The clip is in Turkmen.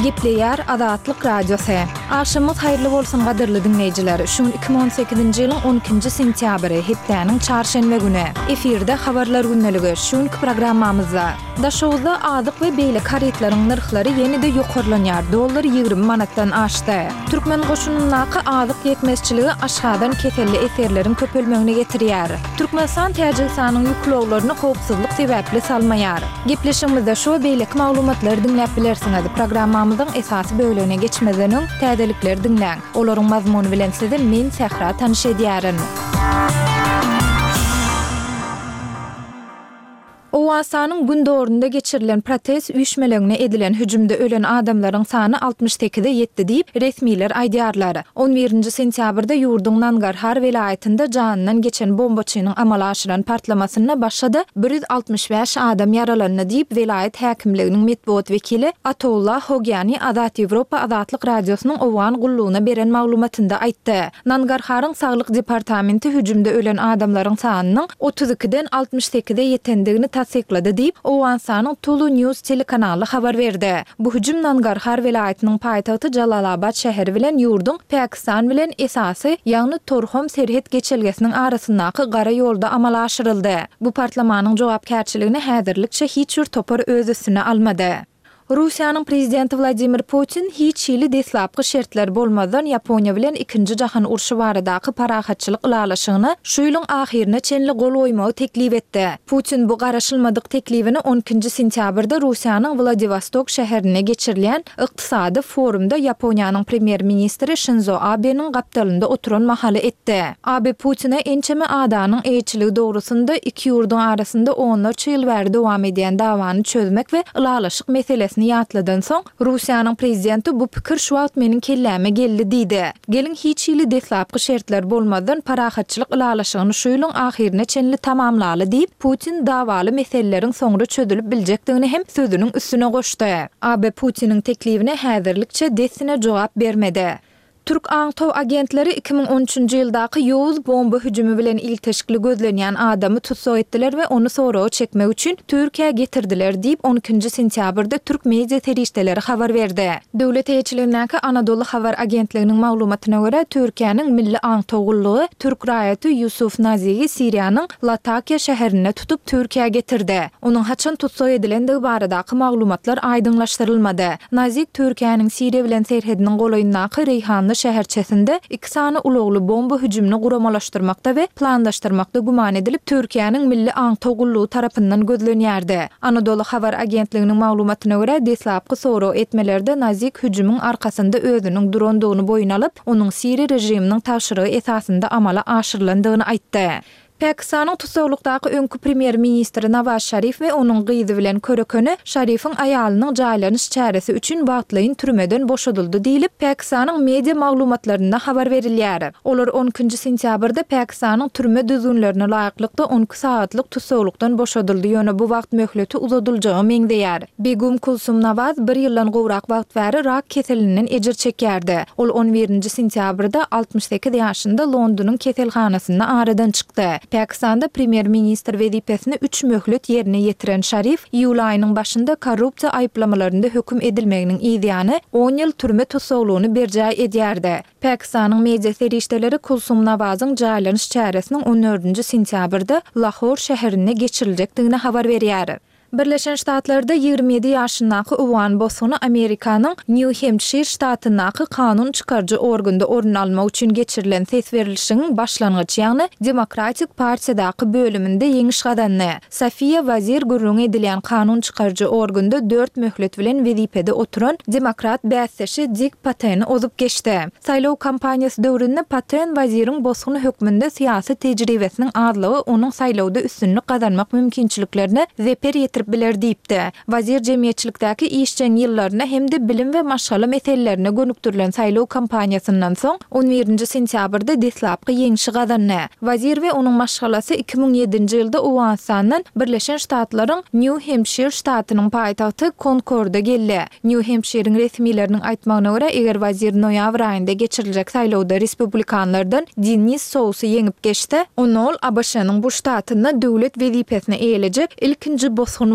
Gepleýär Azatlyk Radiosy. Agşamyňyz haýyrly bolsun gadyrly diňleýjiler. Şu gün 2018-nji ýylyň 12-nji sentýabry, hepdäniň çarşenbe güni. Efirde Habarlar gündeligi. Şu günki programmamyzda. Daşoguzda azyk we beýleki harytlaryň nyrhlary ýene-de ýokarlanýar, dollar 20 manatdan aşdy. Türkmen goşunyndaky azyk ýetmezçiligi aşgazan keselli esgerleriň köpelmegine getirýär. Türkmenistan Täjigistanyň ýük ulaglaryny howpsuzlyk sebäpli salmaýar. Gepleşigimizde şu we beýleki maglumatlary diňläp bilersiňiz. Programmamyzyň esasy bölegine geçmezden öň, täzelikleri diňläň. Olaryň mazmuny bilen sizi men, Sähra tanyş edýärin. Owganystanyň gündogarynda geçirilen protest üýşmeleňine edilen hüjümde ölen adamlaryň sany 68-e ýetdi diýip, resmiler aýdýarlar. On birinji sentýabrda ýurduň Nangarhar welaýatynda janyndan geçen bombaçynyň amala aşyran partlamasynda başga-da 165 adam ýaralandy diýip, welaýat häkimliginiň metbugat wekili Ataullah Hogyani Azat Ýewropa Azatlyk Radiosynyň Owgan gullugyna beren maglumatynda aýtdy. Nangarharyň saglyk departamenti hüjümde ölen adamlaryň sanynyň 32-den 68-e ýetendigini tassyklady diýip, Owganystanyň Tulu News telekanaly habar berdi. Bu hüjüm Nangarhar welaýatynyň paýtagty Jalalabad şäheri bilen ýurduň Pakistan bilen esasy, ýagny Torhom serhet geçelgesiniň arasyndaky gara ýolda amala aşyryldy. Bu partlamanyň jogapkärçiligini häzirlikçe hiç bir topar öz üstüne almady. Russiýanyň prezidenti Wladimir Putin hiç hili deslapky şertler bolmazdan Ýaponiýa bilen Ikinji jahan urşy baradaky parahatçylyk ylalaşygyna şu ýylyň ahyryna çenli gol goýmagy teklip etdi. Putin bu garaşylmadyk teklibini on ikinji sentýabrda Russiýanyň Wladiwostok şäherinde geçirilýän ykdysady forumda Ýaponiýanyň premýer-ministri Şinzo Abeniň gapdalynda oturan mahaly etdi. Abe Putine ençeme adanyň eýeçiligi dogrusynda iki ýurduň arasynda onlarça ýyl bäri dowam edýän dawany çözmek we ylalaşyk meselesini ýatladan soň, Russiýanyň prezidenti bu pikir şu wagt meniň kelläme geldi diýdi. Geliň hiç hili deslapky şertler bolmazdan parahatçylyk ylalaşygyny şu ýylyň ahyryna çenli tamamlaly diýip, Putin dawaly meseleleriň soňra çözülip biljekdigini hem sözüniň üstüne goşdy. Abe Putiniň teklibine häzirlikçe dessine jogap bermedi. Türk aňtaw agentleri 2013-nji ýyldaky ýowuz bomba hüjümi bilen ilteşikli gözlenýän adamy tussag etdiler we ony soraga çekmek üçin Türkiýä getirdiler diýip, on ikinji sentýabrda türk media serişdeleri habar berdi. Döwlet eýeçiligindäki Anadolu habar agentliginiň maglumatyna görä, Türkiýäniň Milli aňtaw gullugy türk raýaty Ýusuf Nazigi Siriýanyň Latakiýa şäherinde tutup, Türkiýä getirdi. Onuň haçan tussag edilendigi baradaky maglumatlar aýdyňlaşdyrylmady. Nazik Türkiýäniň Siriýa bilen serhediniň golaýyndaky Reýhanly şäherçesinde iki sany ulagly bomba hüjümini guramalaşdyrmakda we planlaşdyrmakda güman edilip, Türkiýäniň Milli aňtaw gullugy tarapyndan gözlenýärdi. Anadolu habar agentliginiň maglumatyna görä, deslapky sorag etmelerde Nazik hüjümiň arkasynda özüniň durandygyny boýun alyp, onuň siriýa režiminiň tabşyrygy esasynda amala aşyrylandygyny aýtdy. Pakistanyň tussaglykdaky öňki premýer-ministri Nawaz Şarif we onuň gyzy bilen körekeni Şarifiň aýalynyň jaýlanyş çäresi üçin wagtlaýyn türmeden boşadyldy diýlip, Pakistanyň media maglumatlarynda habar berilýär. Olar on ikinji sentýabrda Pakistanyň türme düzgünlerine laýyklykda on iki sagatlyk tussaglykdan boşadyldy, ýöne bu wagt möhleti uzadyljaga meňzeýär. Begum Kulsum Nawaz bir ýyldan gowrak wagt bäri rak keselinden ejir çekýärdi. Ol on birinji sentýabrda 68 ýaşynda Londonyň keselhanasynda aradan çykdy. Pakistanda premýer-ministr wezipesini üç möhlet ýerine ýetiren Şarif iýul aýynyň başynda korrupsiýa aýyplamalarynda höküm edilmeginiň yzýany on ýyl türme tussaglygyny berjaý edýärdi. Pakistanyň media serişdeleri Kulsum Nawazyň jaýlanyş çäresiniň on dördünji sentýabrda Lahor şäherinde geçiriljekdigini habar berýär. Birleşen Ştatlarda 27 ýaşyndaky owgan bosguny Amerikanyň Nýu-Hempşir ştatyndaky kanun çykaryjy organda orun almak üçin geçirilen ses berlişigiň başlangyç, ýagny Demokratik partiýadaky bölüminde ýeňiş gazandy. Sofiýa Wazir gürrüňi edilýän kanun çykaryjy organda dört möhlet bilen wezipede oturan demokrat bäsdeşi Dik Pateni ozup geçdi. Saýlaw kampaniýasy döwründe Paten Waziriň bosgun hökmünde syýasy tejribesiniň azlygy onuň saýlawda üstünlik gazanmak mümkinçiliklerine zeper ýetirip biler diýipdi. Wazir jemgyýetçilikdäki işjeň ýyllaryna hem-de bilim we maşgala meselelerine gönükdirilen saýlaw kampaniýasyndan soň, on birinji sentýabrda deslapky ýeňşi gazandy. Wazir we onuň maşgalasy 2007-nji ýylda Owganystandan Birleşen Ştatlaryň Nýu-Hempşir ştatynyň paýtagty Konkorda geldi. Nýu-Hempşiriň resmileriniň aýtmagyna görä, eger Wazir noýabr aýynda geçiriljek saýlawda respublikanlardan Dinnis Sousy ýeňip geçse, onda ol ABŞ-nyň bu ştatynda döwlet wezipesini eýelejek ilkinji bosgun bolar.